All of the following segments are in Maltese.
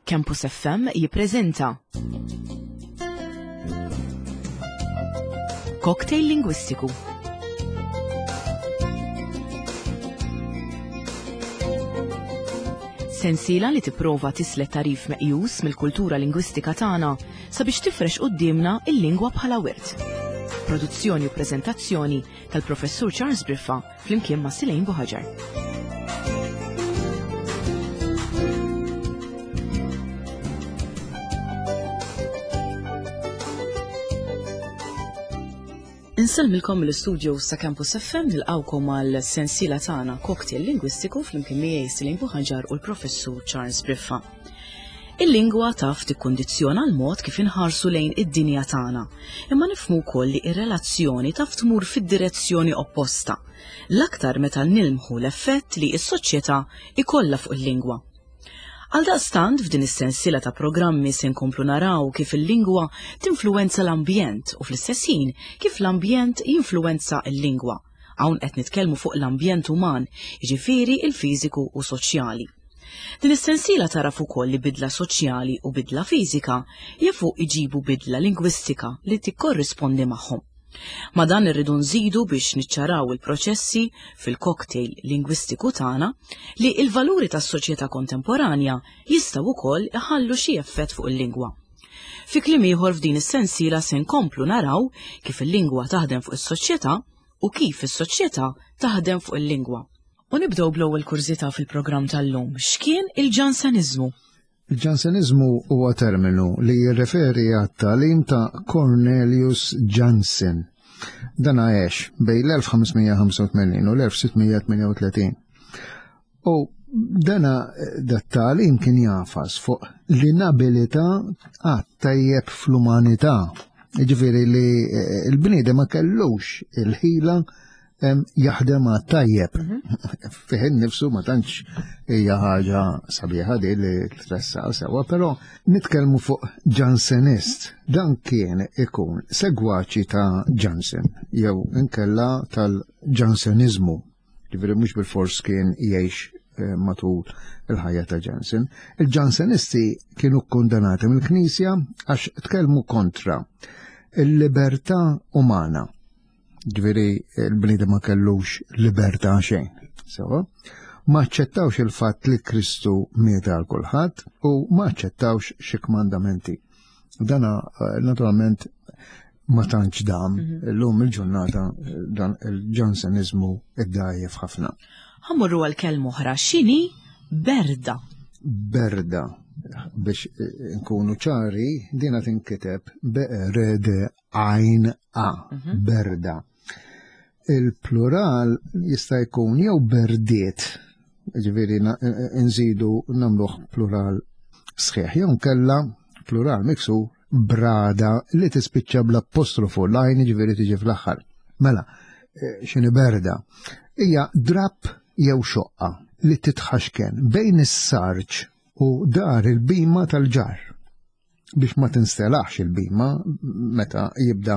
Campus FM jippreżenta Cocktail Lingwistiku. Sensiela li tipprova tislet tarif meqjus mill-kultura lingwistika tagħna sabiex tifrex quddiemna il-lingwa bħala wirt. Produzzjoni u preżentazzjoni tal-Professur Charles Briffa flimkien ma' Silejn Buħaġar. Insellmilkom mill-istudios ta' Campus FM nilqawkom għal sensiela tagħna Cocktail Lingwistiku flimkien miegħi Silejn Buħaġar u l-Professur Charles Briffa. Il-lingwa taf tikkundizzjona l-mod kif inħarsu lejn id-dinja tagħna, imma nifhmu wkoll li r-relazzjoni taf tmur fid-direzzjoni opposta, l-aktar meta nilmħu l-effett li s-soċjetà jkollha fuq il-lingwa. Għaldaqstant f'din is-sensiela ta' programmi se nkomplu naraw kif il-lingwa tinfluwenza l-ambjent u fl-istess ħin kif l-ambjent jinfluwenza l-lingwa. Hawn qed nitkellmu fuq l-ambjent uman, jiġifieri il-fiżiku u soċjali. Din is-sensiela tagħraf ukoll li bidla soċjali u bidla fiżika jafu iġibu bidla lingwistika li tikkorrispondi magħhom. Ma' dan irridu nżidu biex niċċaraw il-proċessi fil-cocktail lingwistiku tagħna li l-valuri tas-soċjetà kontemporanja jistgħu wkoll iħallu xi effett fuq il-lingwa. Fi kliem ieħor f'din is-sensiela se nkomplu naraw kif il-lingwa taħdem fuq is-soċjetà u kif is-soċjetà taħdem fuq il-lingwa. U nibdew bl-ewwel kurżità fil-programm tal-lum. X'kien il-Ġanseniżmu? Il-Ġanseniżmu huwa terminu li jirreferi għat-tagħlim ta' Cornelius Jansen. Dan għex bejn l-1585 u l-1638. U dana dat-tagħlim kien jafas fuq l-inabilità għat-tajjeb fl-umanità. Ġifieri li eh, l-bniedem ma kellux il-ħila jaħdem għat-tajjeb. Mhm. Fih nifsu ma tantx hija ħaġa sabiħa di li tressa sewa, però nitkellmu fuq Jansenist. Dan kien ikun segwaċi ta' Jansen jew inkella tal-Jansenizmu. Ġifieri mhux bil-fors kien jgħix eh, matul il-ħajja ta' Jansen. Il-Jansenisti kienu kkondanati mill-Knisja għax tkellmu kontra il-libertà umana. Ġifieri il-bniedem ma kellux libertà xejn. Sewa, ma aċċettawx il-fatt li Kristu miet għal kulħadd u ma aċċettawx xi kmandamenti. Dana eh, naturalment ma tantx dam, mhm. illum il-ġurnata eh, dan il-Ġanseniżmu id-dajjef ħafna. Ħammurru għal kelma oħra, x'inhi berda? Berda biex eh, nkunu ċari, dina tinkiteb B-R-D għajn A, mhm. berda. Il-plural jista' jkun jew berdiet, ġifieri nżidu nagħmluh plural sħiħ, jew nkella plural miksu brada li tispiċċa bl-apostrofu l-għajn ġifieri tiġi fl-aħħar. Mela, eh, x'inhi berda? Hija drapp jew xoqqa li titħaxken bejn is-sarġ u dar il-bima tal-ġar. biex ma tinstelaħx il-bima meta jibda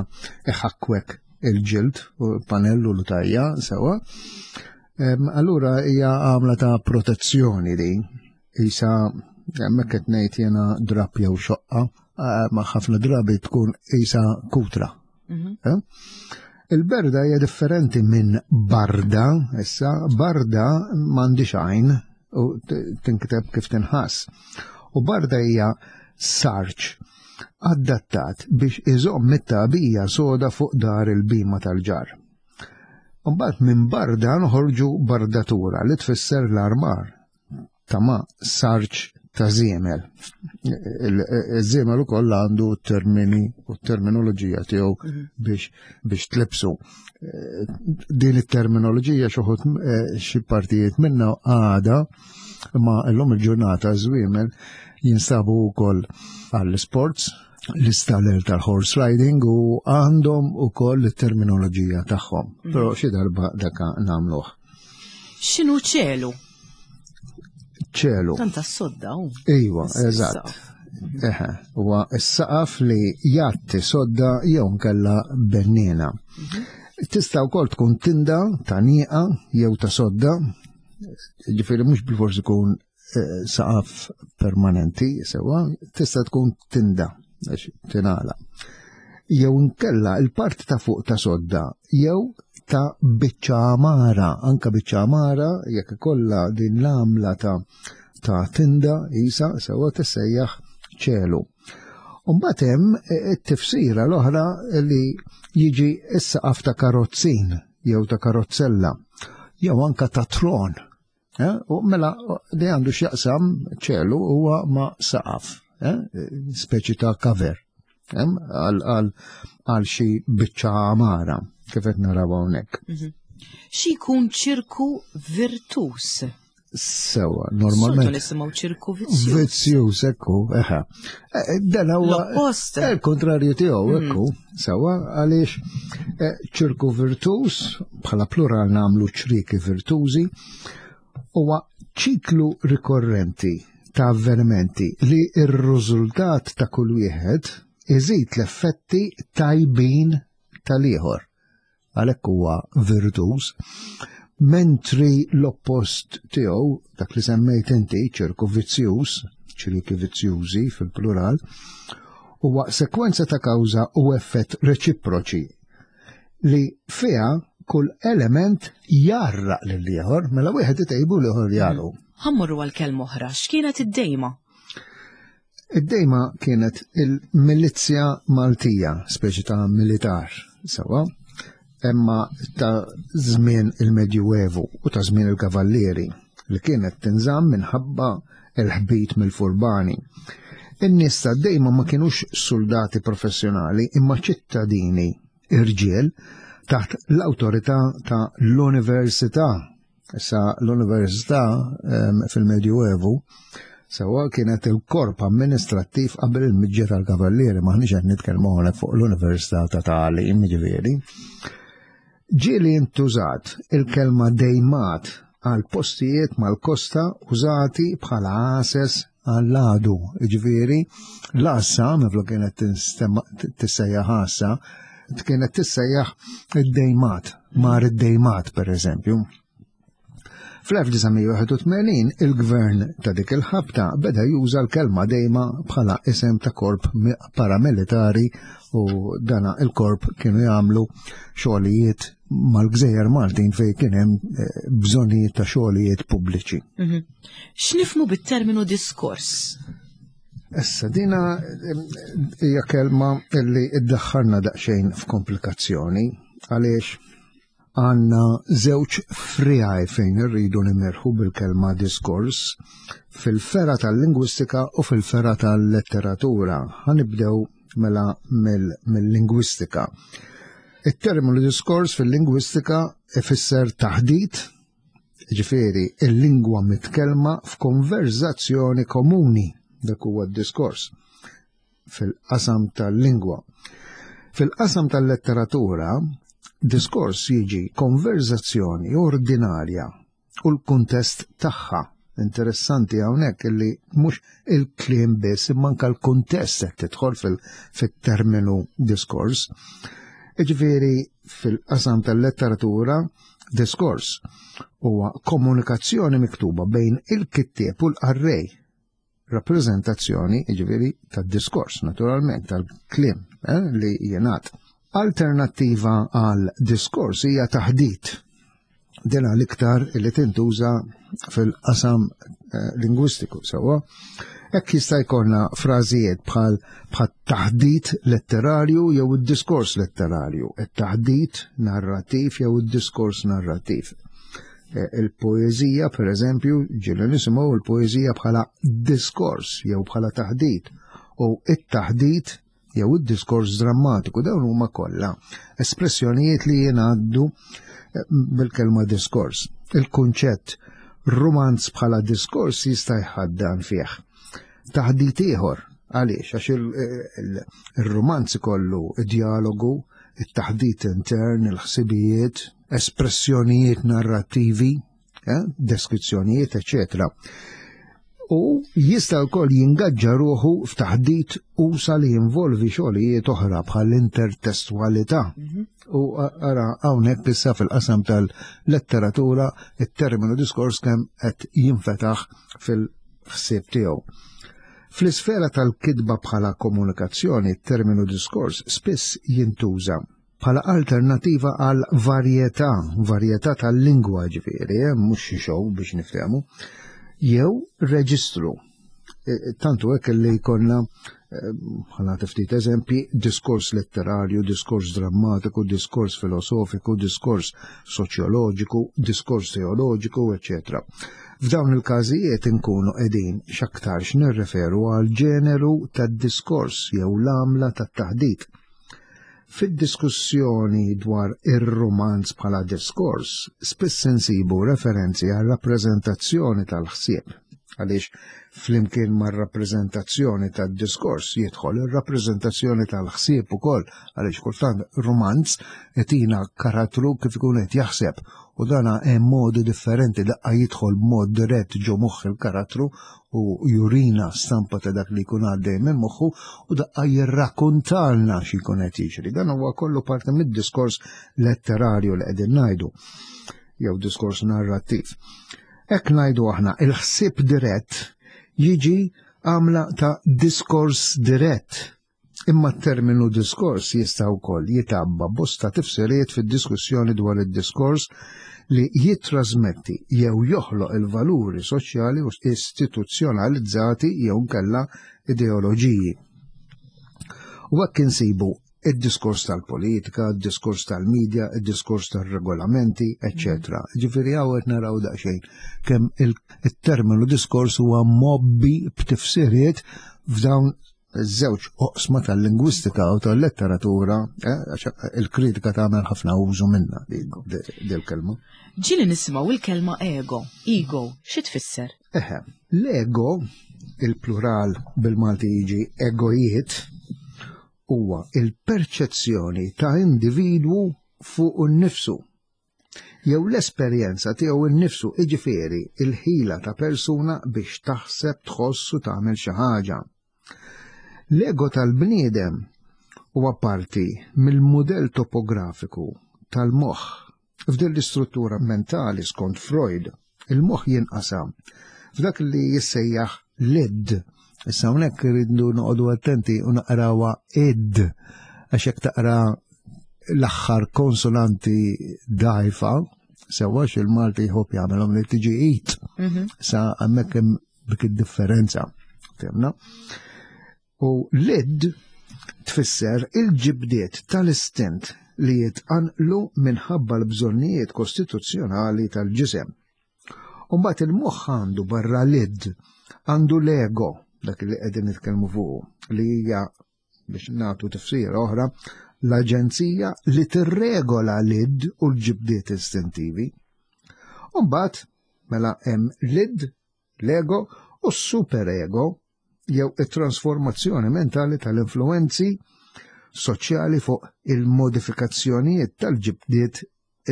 iħakkwek il-ġild u panellu l-tajja sewa. Allura hija għamla ta' protezzjoni din. Isa hemmhekk qed ngħid jiena drab jew xoqqa, eh, ma ħafna drabi tkun isa kutra. Mhm. Eh? Il-berda hija differenti minn barda, issa barda m'għandix għajn u tinkteb kif tinħass. U barda hija sarċ adattat biex iżomm it-tagħbija soda fuq dar il-bima tal-ġar. Mbagħad minn barda noħorġu bardatura li tfisser l-armar ta' ma sarċ ta' żiemel. Iż-żiemel ukoll għandu termini u terminoloġija tiegħu mhm. biex biex tlibsu. Eh, din it-terminoloġija xi eh, xi partijiet minna għada ma llum il-ġurnata żwiemel jinsabu wkoll għall-sports l-istaller tal-horse riding u għandhom ukoll it-terminoloġija tagħhom. Mhm. Però xi darba daka nagħmluh. X'inhu ċelu? ċelu. Tant sodda u. Iva, eżatt. Eħe, huwa s-saqaf li jatti sodda jew nkella bennina. Mhm. Tista' wkoll tkun tinda ta' nieqa jew ta' sodda, ġifieri mhux bil-fors ikun eh, saqaf permanenti, sewa, tista' tkun tinda, għax tingħala. Jew inkella il-parti ta' fuq ta' sodda, jew ta' biċċa għamara, anka biċċa għamara jekk ikollha din l-għamla ta' ta' tinda isa sewa tissejjaħ ċelu. Umbagħad hemm eh, it-tifsira l-oħra li jiġi s-saqaf ta' karozzin jew ta' karozzella jew anka ta' tron. Eh, u mela li għandu x'jaqsam ċelu huwa ma' saqaf, eh, speċi ta' cover għal xi biċċa għamara kif qed naraw hawnhekk. Mhm. Xi jkun ċirku virtus? Sewa, normalment. Soltu nisimgħu ċirku vizzjuż. Vizzjuż, ekku, eħe. Eh, eh, dan huwa. L-oppost. Eh, il-kontrarju tiegħu, mm. ekku, sewa, għaliex ċirku virtuż, bħala plural nagħmlu ċriki virtużi, huwa ċiklu rikorrenti ta' avvenimenti li r-riżultat ta' kull wieħed iżid l-effetti tajbin tal-ieħor. Għalhekk huwa virtuż. Mentri l-oppost tiegħu, dak li semmejt inti, ċirku vizzjuż, ċirki vizzjużi fil-plural, huwa sekwenza ta' kawża u effett reċiproċi li fiha kull element jarraq lil ieħor, mela wieħed itejbu l-ieħor jaru. Ħammorru għal kelma oħra, x'kienet id-dejma? Id-dejma kienet il-milizzja Maltija, speċi ta' militar, sewa, imma ta' żmien il-Medjuevu u ta' żmien il-Kavallieri li kienet tinżamm minħabba il-ħbit mill-furbani. In-nies ta' dejma ma kienux soldati professjonali imma ċittadini irġiel taħt l-awtorità ta' l-Università. Issa l-Università fil-Medjuevu sewa kienet il-korp amministrattiv qabel il-miġġa tal-Kavallieri, maħniex qed nitkellmu hawnhekk fuq l-Università ta' Tagħlim, ġifieri. Ġieli intużat il-kelma dejmat għal postijiet mal-kosta użati bħala għases għall-għadu, ġifieri l-għassa minflok kienet tissejjaħ għassa, kienet tissejjaħ id-dejmat, mar id-dejmat per eżempju. Fl-1981 il-gvern ta' dik il-ħabta beda juża l-kelma dejma bħala isem ta' korp paramilitari u dana il-korp kienu jagħmlu xogħlijiet mal-gżejjer Maltin fejn kien hemm eh, bżonnijiet ta' xogħlijiet pubbliċi. Mhm. X'nifmu bit-terminu diskors? Issa dina eh, hija kelma li iddaħħalna daqsxejn f'komplikazzjoni għaliex Għandna żewġ friegħi fejn irridu nimirħu bil-kelma diskors, fil-fergħa tal-lingwistika u fil-fergħa tal-letteratura. Ħa nibdew mela mill-lingwistika. It-terminu diskors fil-lingwistika ifisser taħdit, ġifieri il-lingwa mitkellma f'konverzazzjoni komuni, dak huwa d-diskors. fil-qasam tal-lingwa. Fil-qasam tal-letteratura, diskors jiġi konverzazzjoni ordinarja u l-kuntest tagħha. Interessanti hawnhekk illi mhux il-kliem biss imma anke l-kuntest qed tidħol fit-terminu diskors. Iġifieri fil-qasam tal-letteratura, diskors huwa komunikazzjoni miktuba bejn il-kittieb u l-qarrej rappreżentazzjoni, jiġifieri tad-diskors, naturalment, tal-kliem eh, li jingħad. Alternattiva għal diskors hija taħdit. Dina l-iktar li tintuża fil-qasam eh, lingwistiku sewwa. Hekk jista' jkollna frażijiet bħal bħal taħdit letterarju jew id-diskors letterarju, it-taħdit narrattiv jew id-diskors narrattiv. Eh, il-poeżija, per eżempju, ġieli nisimgħu il-poeżija bħala diskors jew bħala taħdit u it-taħdit jew id-diskors drammatiku dawn huma kollha espressjonijiet li jingħaddu eh, bil-kelma diskors. Il-kunċett rumanz bħala diskors jista' jħaddan fih. Taħdit ieħor għaliex għax il-rumanz ikollu id-dialogu, it-taħdit intern, il-ħsibijiet, espressjonijiet narrattivi, eh, deskrizzjonijiet, eccetera. U jista' wkoll jingaġġa ruħu f'taħdit usa li jinvolvi xogħlijiet oħra bħal intertestwalità. Mhm. U ara hawnhekk issa fil-qasam tal-letteratura it-terminu diskors kemm qed jinfetaħ fil- ħsieb tiegħu. Fl-isfera tal-kitba bħala komunikazzjoni, terminu diskors spiss jintuża bħala alternativa għal varjetà, varjetà tal-lingwa ġifieri, eh, mhux xi show biex niftehmu, jew reġistru. E, e, tantu hekk li jkollna e, ħana ftit eżempji, diskors letterarju, diskors drammatiku, diskors filosofiku, diskors soċjoloġiku, diskors teoloġiku, eccetera. F'dawn il-każijiet inkunu qegħdin x'aktarx nirreferu għal ġeneru tad-diskors jew l-għamla tat-taħdit. Fid-diskussjoni dwar ir-rumanz bħala diskors, spiss insibu referenzi għal rappreżentazzjoni tal-ħsieb, għaliex flimkien mar-rappreżentazzjoni tad-diskors jidħol ir-rappreżentazzjoni tal-ħsieb ukoll, għaliex kultant rumanz itina karattru kif ikun qed jaħseb u dana hemm modi differenti daqqa jidħol b'mod dirett ġo moħħ il-karattru u jurina stampa ta' dak li jkun għaddej minn moħħu u daqqa jirrakkontalna xi jkun qed jiġri. Dan huwa kollu parti mid-diskors letterarju li qegħdin ngħidu jew diskors narrattiv. Hekk ngħidu aħna il-ħsieb dirett jiġi għamla ta' diskors dirett. Imma t-terminu diskors jista' wkoll jitabba bosta tifsiriet fid-diskussjoni dwar id-diskors li jittrasmetti jew joħloq il-valuri soċjali u istituzzjonalizzati jew nkella ideoloġiji. U hekk insibu id-diskors tal-politika, id-diskors tal-medja, id-diskors tal-regolamenti, etc. Ġifieri hawn qed naraw daqsxejn kemm il-terminu diskors huwa mobbi b'tifsiriet f'dawn żewġ oqsma tal-lingwistika u tal-letteratura, eh, il-kritika tagħmel ħafna użu minna dil-kelma. Ġieli nisimgħu il-kelma ego, ego, xi tfisser? Eħe, l-ego, il-plural bil-Malti jiġi egojiet, huwa il-perċezzjoni ta' individwu fuq nnifsu jew l-esperjenza tiegħu nnifsu, jiġifieri il-ħila ta' persuna biex taħseb, tħoss u tagħmel xi ħaġa. L-ego tal-bniedem huwa parti mill-mudell topografiku tal-moħħ. F'din l-istruttura mentali skont Freud, il-moħħ jinqasam f'dak li jissejjaħ l-id. Issa hawnhekk irridu noqogħdu attenti u naqrawha id għax jekk taqra l-aħħar konsonanti dgħajfa, sewwa il-Malti jħobb jagħmelhom li tiġi it. Mhm. Sa hemmhekk hemm dik id-differenza. Fehmna? U l-id tfisser il-ġibdiet tal-istint li jitqanqlu minħabba l-bżonnijiet kostituzzjonali tal-ġisem. U mbagħad il-moħħ għandu barra l-id, għandu l-ego, dak li qegħdin nitkellmu fuqu, li hija biex nagħtu tifsira oħra, l-aġenzija li tirregola l-id u l-ġibdiet istintivi. U mbagħad mela hemm l-id, l-ego u s-superego jew it-trasformazzjoni mentali tal-influenzi soċjali fuq il-modifikazzjonijiet tal-ġibdiet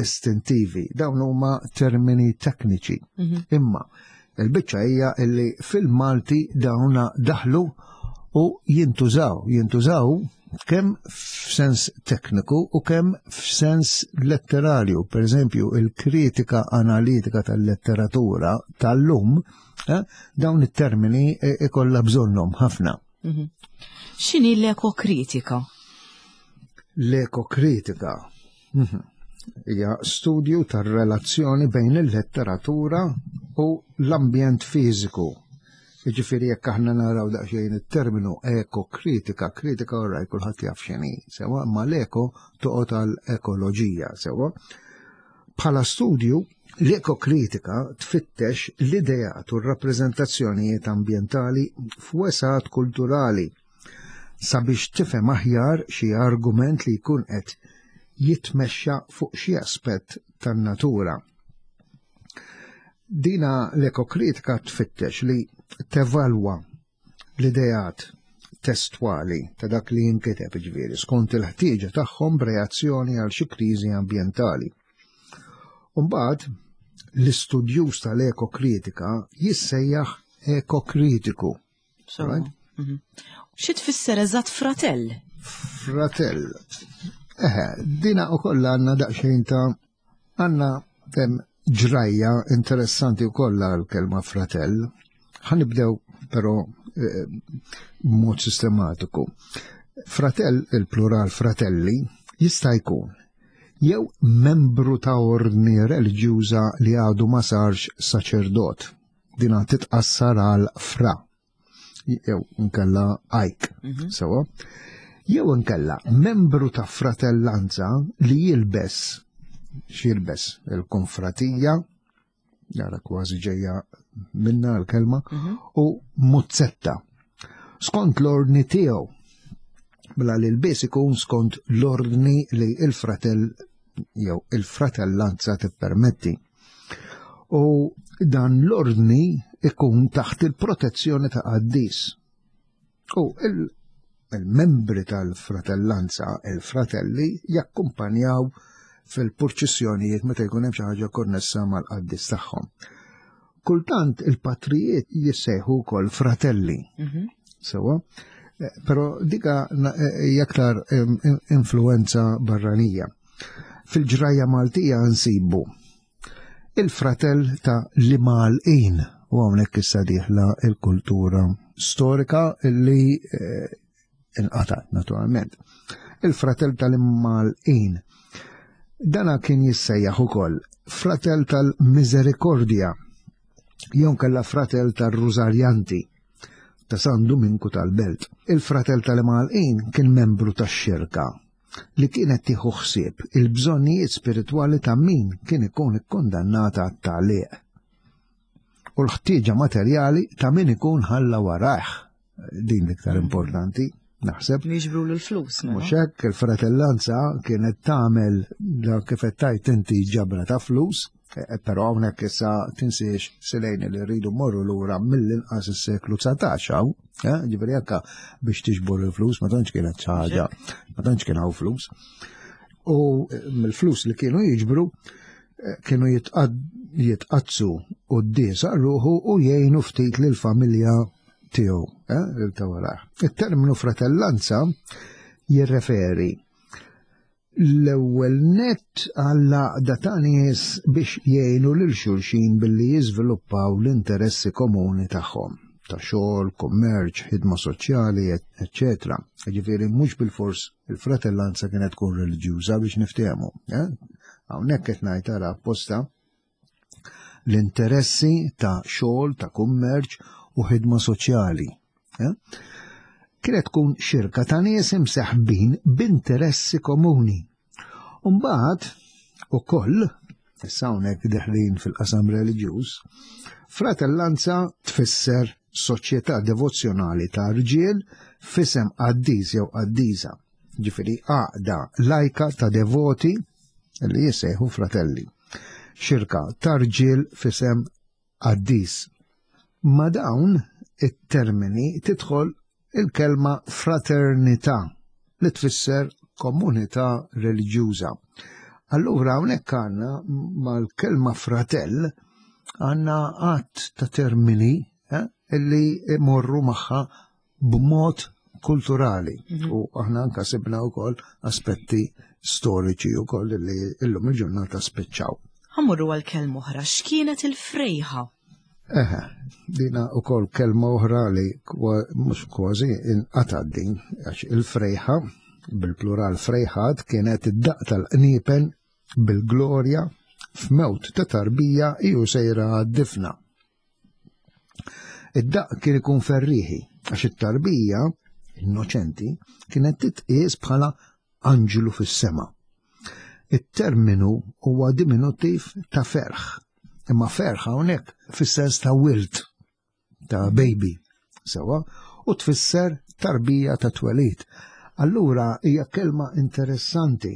istintivi. Dawn huma termini tekniċi. Mhm. Imma il-biċċa hija illi fil-Malti dawna daħlu u jintużaw, jintużaw kemm f'sens tekniku u kemm f'sens letterarju. Per eżempju, il-kritika analitika tal-letteratura tal-lum, eh, dawn it-termini eh, ikollha bżonnhom ħafna. Mhm. X'inhi l-ekokritika? L-ekokritika mhm. hija studju tar-relazzjoni bejn il-letteratura u l-ambjent fiżiku. Jiġifieri jekk aħna naraw daqsxejn it-terminu ekokritika, kritika orraj kulħadd jaf x'inhi, sewa, imma l-eko toqgħod għal ekoloġija, sewa. Bħala studju, l-ekokritika tfittex l-ideat u r-rappreżentazzjonijiet ambjentali f'wesgħat kulturali sabiex tifhem aħjar xi argument li jkun qed jitmexxa fuq xi aspett tan-natura. Dina l-ekokritika tfittex li tevalwa l-ideat testwali ta' dak li jinkiteb ġifieri skont il-ħtieġa tagħhom b'reazzjoni għal xi kriżi ambjentali. Umbagħad l-istudjuż tal-ekokritika jissejjaħ ekokritiku. Right? Mhm. Xi tfisser eżatt fratell? Fratell. Eħe, dina u kollha għandna daqsxejn ta' għandna ġrajja interessanti wkoll għall-kelma fratell. Ħanibdew però eh, b'mod sistematiku. Fratell, il-plural fratelli, jista' jkun jew membru ta' ordni reliġjuża li għadu ma sarx saċerdot. Dina titqassar għal fra jew inkella ajk. Mhm. Sewa. Jew inkella membru ta' fratellanza li jilbes x'jilbes il-konfratija jara kważi ġejja minna l-kelma, mhm. u muzzetta. Skont l-ordni tiegħu, bla li l-bies ikun skont l-ordni li il-fratell jew il-fratellanza tippermetti. U dan l-ordni ikun taħt il-protezzjoni ta' qaddis. U il-membri tal-fratellanza, il-fratelli, jakkumpanjaw fil-purċissjonijiet meta jkun hemm xi ħaġa konnessa mal-qaddis tagħhom. Kultant il-patrijiet jissejħu wkoll fratelli. Mhm. Sewa, eh, però dika eh, hija aktar influenza barranija. Fil-ġrajja Maltija nsibu il-fratell ta' l-Imgħalqin u hawnhekk issa dieħla il-kultura storika li eh, inqatgħet naturalment. Il-fratell tal-Imgħalqin. Dana kien jissejjaħ ukoll fratell tal-Misericordja jew kella fratell tar-Rużarjanti ta' San Duminku tal-Belt. Il-fratell tal-Imgħalqin kien membru tax-xirka li kienet tieħu ħsieb il-bżonnijiet spiritwali ta' min kien ikun ikkundannat għat-tagħliq u l-ħtieġa materjali ta' min ikun ħalla warajh. Din l-iktar importanti, naħseb. Jiġbru l-flus. Mela. Mhux hekk il-fratellanza kienet tagħmel dak kif qed tgħid inti ġabra ta' flus, eh, però hawnhekk issa tinsiex silejn li rridu morru lura mill-inqas is-seklu 19 hawn, eh, ġifieri anke biex tiġbor il-flus ma tantx kienet xi ħaġa, ma tantx kien hawn flus. U eh, mill-flus li kienu jiġbru kienu jitqaddsu quddies ruħu u jgħinu ftit lill-familja tiegħu, lil ta' warah. Il-terminu fratellanza jirreferi l-ewwel nett għall-għaqda ta' nies biex jgħinu lil xulxin billi jiżviluppaw l-interessi komuni tagħhom ta' xogħol, kummerċ, ħidma soċjali, eċċetera. Ġifieri mhux bilfors il-fratellanza kienet tkun reliġjuża biex niftehmu. Eh? Hawnhekk qed ngħid ara apposta l-interessi ta' xogħol, ta' kummerċ u ħidma soċjali. Eh? Kienet tkun xirka ta' nies imseħbin b'interessi komuni. Umbagħad ukoll issa hawnhekk deħlin fil-qasam reliġjuż, fratellanza tfisser soċjetà devozzjonali ta' rġiel f'isem qaddis jew qaddisa, ġifieri għaqda lajka ta' devoti li jissejħu fratelli. Xirka ta' rġiel f'isem qaddis. Ma' dawn it-termini tidħol il-kelma fraternità li tfisser komunità reliġjuża. Allura hawnhekk għandna mal-kelma fratell għandna għadd ta' termini eh, illi imorru magħha b'mod kulturali mhm. u aħna anka sibna wkoll aspetti storiċi wkoll li illum il-ġurnata spiċċaw. Ħammurru għal kelma oħra, x'kienet il-frejħa? Eħe, dina wkoll kelma oħra li mhux kważi inqatad din għax il-frejħa bil-plural frejħat kienet id-daq tal-qniepen bil-glorja f'mewt ta' tarbija iju sejra għad-difna. Id-daqq kien ikun ferrieħi għax it-tarbija innoċenti kienet titqies bħala anġlu fis-sema. It-terminu huwa diminuttiv ta' ferħ, imma ferħ hawnhekk fis-sens ta' wild, ta' baby, sewa, u tfisser tarbija ta' twelid. Allura hija kelma interessanti.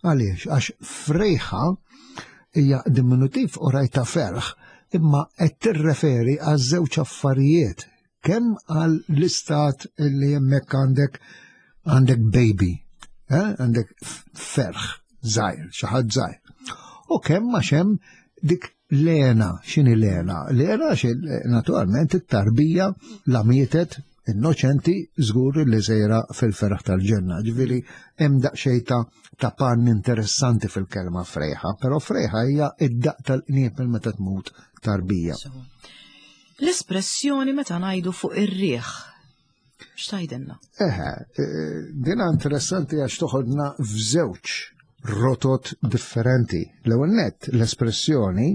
Għaliex? Għax frejħa hija diminutiv u rajta ferħ, imma qed tirreferi għal żewġ affarijiet, kemm għal l-istat li hemmhekk għandek għandek baby, eh? għandek ferħ żgħir, xi ħadd żgħir. U kemm għax hemm dik l-għena, x'inhi l-għena? L-għena naturalment it-tarbija la mietet innoċenti żgur li sejra fil-ferħ tal-ġenna. Ġifieri hemm daqsxejn ta' ta' pann interessanti fil-kelma frejħa, però frejħa hija id-daq tal-qniep meta tmut tarbija. L-espressjoni meta ngħidu fuq ir-riħ. X'tgħidilna? Eħe, eh, dina interessanti għax toħodna f'żewġ rotot differenti. L-ewwel nett l-espressjoni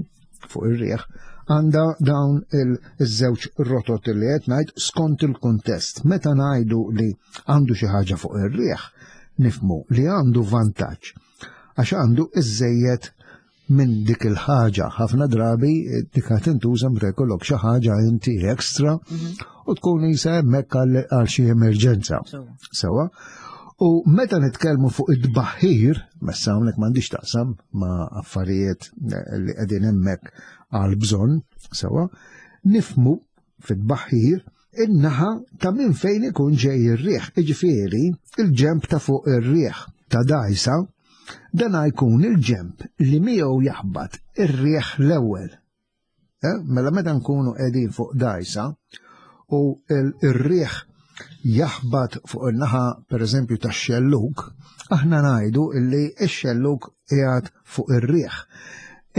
fuq ir-riħ għandha dawn il-żewġ rotot li qed ngħid skont il-kuntest. Meta ngħidu li għandu xi ħaġa fuq ir-riħ, nifmu li għandu vantaġġ għax għandu iżejjed minn dik il-ħaġa. Ħafna drabi dik qed tintuża meta jkollok xi ħaġa inti extra mhm. u tkun isa hemmhekk għal xi emerġenza. Sewa. U meta nitkellmu fuq id-baħir, messa hawnhekk m'għandix taqsam ma' affarijiet li qegħdin hemmhekk għal bżonn, sewa, nifmu fid-baħir in-naħa ta' minn fejn ikun ġej ir-riħ, iġifieri il-ġemp ta' fuq ir-riħ ta' dajsa, dan jkun il-ġemp li miegħu jaħbat ir-riħ l-ewwel. Eh, mela meta nkunu qegħdin fuq dajsa u r-riħ jaħbat fuq in-naħa pereżempju tax-xellug, aħna ngħidu li x-xellug qiegħed fuq ir-riħ.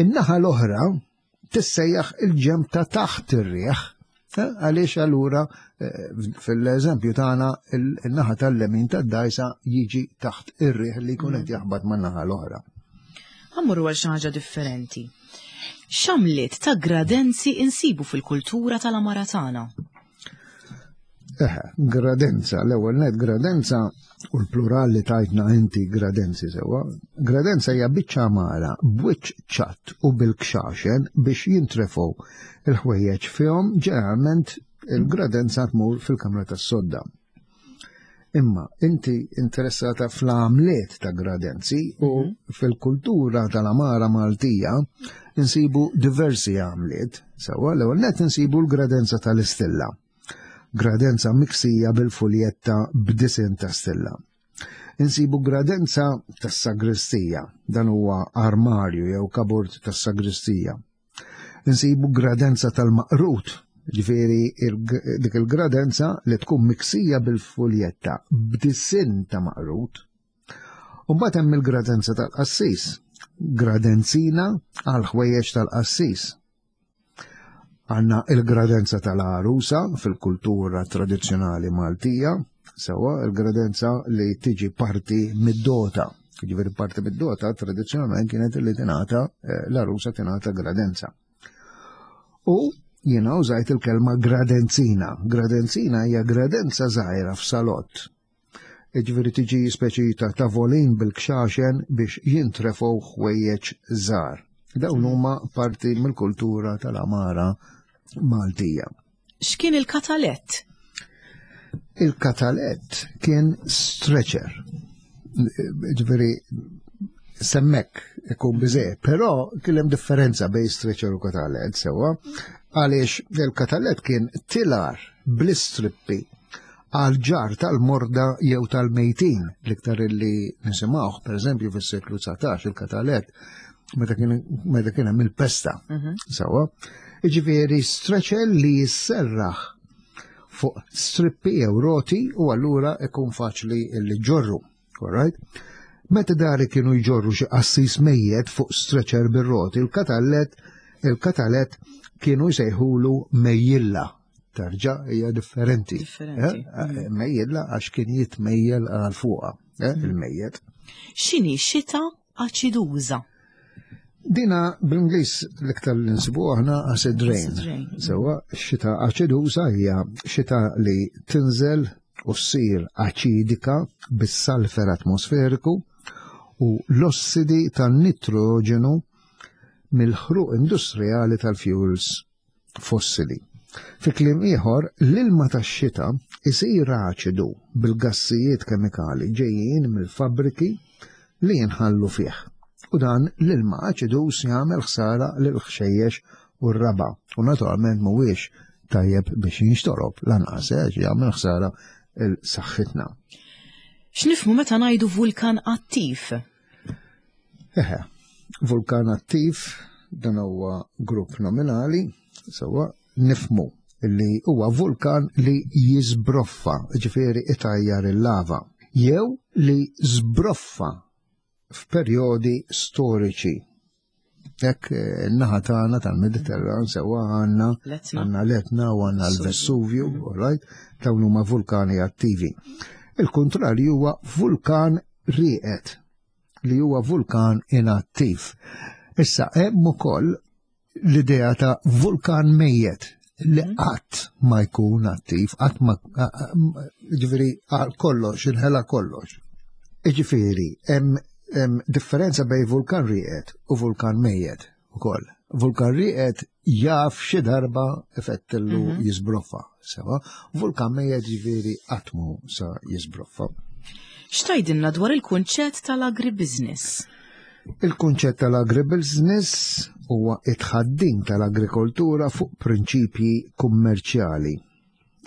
In-naħa l-oħra tissejjaħ il-ġemp ta' taħt ir-riħ. Eh, għaliex allura eh, fil-eżempju tagħna il-naħa tal-lemin tad-dajsa jiġi taħt ir-riħ li jkun qed mm. jaħbat man-naħa l-oħra. Ħammur għal xi ħaġa differenti. X'għamliet ta' gradenzi insibu fil-kultura tal-amara tagħna? Eħe, gradenza, l-ewwel net gradenza u l-plural li tajtna inti gradenzi sewwa. Gradenza hija biċċa għamara b'wiċċ ċatt u bil-kxaxen biex jintrefgħu il-ħwejjeġ fihom ġeneralment il-gradenza tmur fil-kamra tas-sodda. Imma inti interessata fl-għamliet ta' gradenzi u mhm. fil-kultura tal-amara Maltija insibu diversi għamliet. Sewwa l-ewwel net insibu l-gradenza tal-istilla. Gradenza miksija bil-fuljetta b'disin ta' stilla. Insibu gradenza tas-sagristija, dan huwa armarju jew kaburt tas-sagristija. Insibu gradenza tal-maqrut, ġifieri dik il-gradenza li tkun miksija bil-fuljetta b'disinn ta' maqrut. U mbagħad hemm il-gradenza tal-qassis, gradenzina għal ħwejjeġ tal-qassis. Għanna il-gradenza tal-għarusa fil-kultura tradizzjonali Maltija, sewa il-gradenza li tiġi parti mid-dota. Ġifieri parti mid-dota tradizzjonalment kienet li tingħata eh, l-għarusa tingħata gradenza. U jiena użajt il-kelma gradenzina. Gradenzina hija gradenza żgħira f'salott Jiġifieri tiġi speċi ta' tavolin bil-kxaxen biex jintrefgħu ħwejjeġ żgħar. Dawn huma parti mill-kultura tal-amara Maltija. X'kien il-katalett? Il-katalett kien stretcher. Ġifieri semmek ikun biżej, però kien hemm differenza bejn stretcher u katalett sewwa, għaliex il-katalett kien tilar bl-istrippi għal ġar tal-morda jew tal-mejtin, l-iktar illi nisimgħuh, pereżempju fis-seklu 19 il-katalet, meta kien hemm il-pesta. Mhm. Sawa, jiġifieri streċel li jisserraħ fuq strippi jew roti u allura ikun faċli li ġorru. Alright? Meta dari kienu jġorru xi qassis mejjet fuq stretcher bir-roti, il-katallet il-katalet kienu jsejħulu mejjilla. Tarġa hija differenti. Differenti. Eh? eh, mejjilla għax kien jitmejjel għal fuqha, eh, mm. il-mejjet. X'inhi xita aċiduża? Dina bl-Ingliż l-iktar li nsibu aħna acid rain. Sewa, xita aċiduża hija xita li tinżel u ssir aċidika bis-salfer atmosferiku u l-ossidi tan-nitroġenu mill-ħruq industrijali tal-fuels fossili. Fi kliem ieħor, l-ilma tax-xita isir aċidu bil-gassijiet kemikali ġejjin mill-fabbriki li jinħallu fih. U dan l-ilma aċiduż jagħmel ħsara lill-ħxejjex u r-raba' u naturalment mhuwiex tajjeb biex jinxtorob lanqas eh, jagħmel ħsara l saħħitna. X'nifhmu meta ngħidu vulkan attiv? Eħe, vulkan attiv dan huwa grupp nominali, sewwa nifmu li huwa vulkan li jiżbroffa, ġifieri itajjar il-lava, jew li żbroffa f'perjodi storiċi. Hekk eh, naħa tagħna tal-Mediterran sewwa għandna għandna l-Etna u għandna l-Vesuvju, mm. all right, dawn huma vulkani attivi. Il-kontrarju huwa vulkan rieqed li huwa vulkan inattiv. Issa hemm ukoll l-idea ta' vulkan mejjet li mhm. qatt ma jkun attiv, qatt ma ġifieri għal kollox, inħela kollox. Ġifieri, hemm differenza bej vulkan rieqed u vulkan mejjet ukoll. Vulkan rieqed jaf xi darba effettillu mhm. jiżbroffa, sewa. Vulkan mejjet ġifieri qatt mu sa jiżbroffa. X'tajdilna dwar il-kunċett tal-agribusiness? Il-kunċett tal-agribusiness huwa it-tħaddim tal-agrikoltura fuq prinċipji kummerċjali.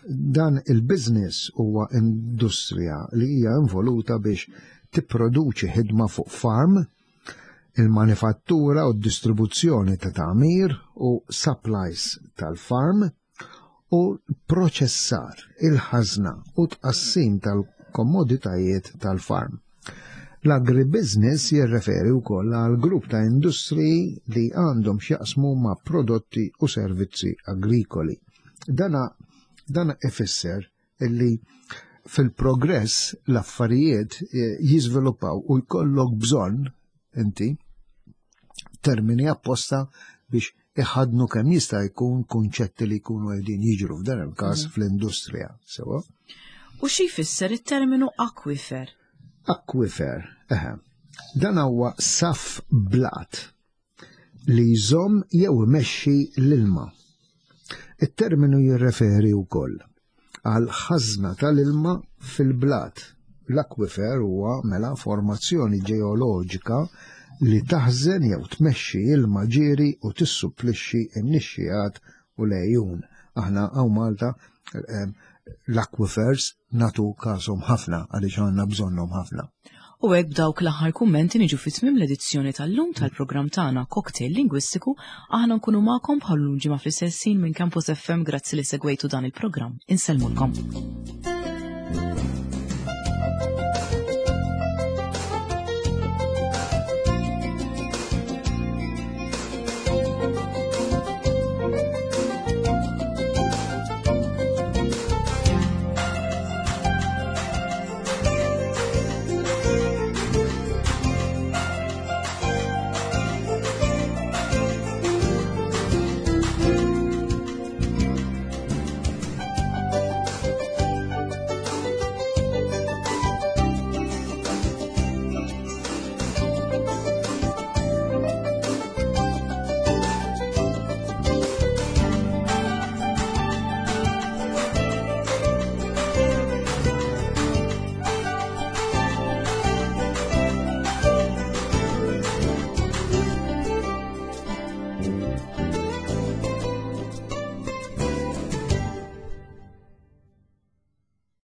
Dan il-business huwa industrija li hija involuta biex tipproduċi ħidma fuq farm, il-manifattura u d-distribuzzjoni ta' tagħmir u supplies tal-farm, u l-proċessar, il-ħażna u tqassim tal-kommoditajiet tal-farm. L-agribusiness jirreferi wkoll għal grupp ta' industriji li għandhom x'jaqsmu ma' prodotti u servizzi agrikoli. Dana dana ifisser illi fil-progress l-affarijiet eh, jiżviluppaw u jkollok bżonn inti termini apposta biex iħadnu kemm jista' jkun kunċetti li jkunu qegħdin jiġru f'dan il-każ mhm. fl-industrija. Sewa. U xi jfisser it-terminu akwifer? Akwifer, eħe. Dan huwa saf blat li jżomm jew imexxi l-ilma. It-terminu jirreferi wkoll għal ħażna tal-ilma fil-blat. L-akwifer huwa mela formazzjoni ġeoloġika li taħżen jew tmexxi ilma ġieri u tissupplixxi n-nixxigħat u l-għejun. Aħna hawn Malta eh, l-aquifers natu kasom ħafna għaliex għandna bżonnhom ħafna. U hekk b'dawk l-aħħar kummenti niġu fi tmiem l-edizzjoni tal-lum tal-programm tagħna Cocktail Lingwistiku, aħna nkunu magħkom bħal lum ġimgħa fl-istess ħin minn Campus FM grazzi li segwejtu dan il-programm. Insellmulkom.